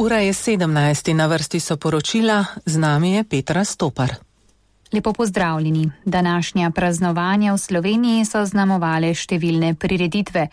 Ura je 17, na vrsti so poročila, z nami je Petra Stopar. Lepo pozdravljeni. Današnja praznovanja v Sloveniji so znamovale številne prireditve.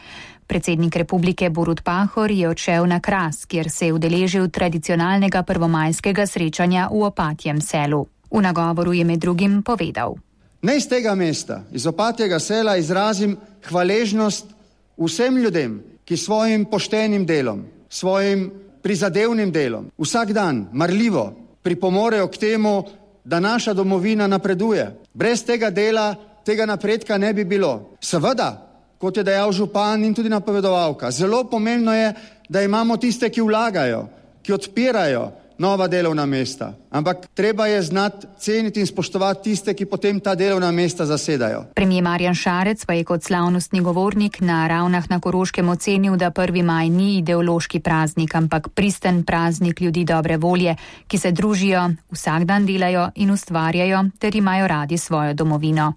Predsednik republike Borut Pahor je odšel na Kras, kjer se je udeležil tradicionalnega prvomajskega srečanja v Opatjem selu. V nagovoru je med drugim povedal: Naj z tega mesta, iz Opatjega sela, izrazim hvaležnost vsem ljudem, ki svojim poštenim delom, svojim prizadevnim delom, vsak dan marljivo pripomorejo k temu, da naša domovina napreduje. Brez tega dela, tega napredka ne bi bilo. Seveda, kot je dejal župan in tudi napovedovalka, zelo pomembno je, da imamo tiste, ki vlagajo, ki odpirajo nova delovna mesta. Ampak treba je znati ceniti in spoštovati tiste, ki potem ta delovna mesta zasedajo. Premier Marjan Šarec pa je kot slavnostni govornik na Ravnah na Koroškem ocenil, da 1. maj ni ideološki praznik, ampak pristen praznik ljudi dobre volje, ki se družijo, vsak dan delajo in ustvarjajo ter imajo radi svojo domovino.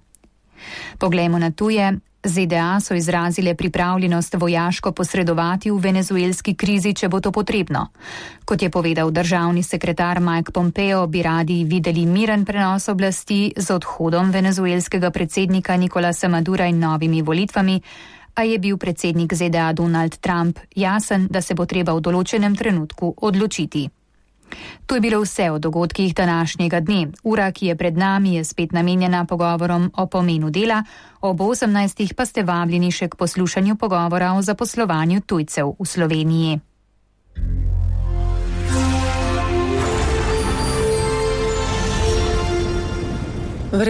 Poglejmo na tuje. ZDA so izrazile pripravljenost vojaško posredovati v venezuelski krizi, če bo to potrebno. Kot je povedal državni sekretar Mike Pompeo, bi radi videli miren prenos oblasti z odhodom venezuelskega predsednika Nicolasa Madura in novimi volitvami, a je bil predsednik ZDA Donald Trump jasen, da se bo treba v določenem trenutku odločiti. To je bilo vse o dogodkih današnjega dne. Ura, ki je pred nami, je spet namenjena pogovorom o pomenu dela, ob 18. pa ste vabljeni še k poslušanju pogovora o zaposlovanju tujcev v Sloveniji.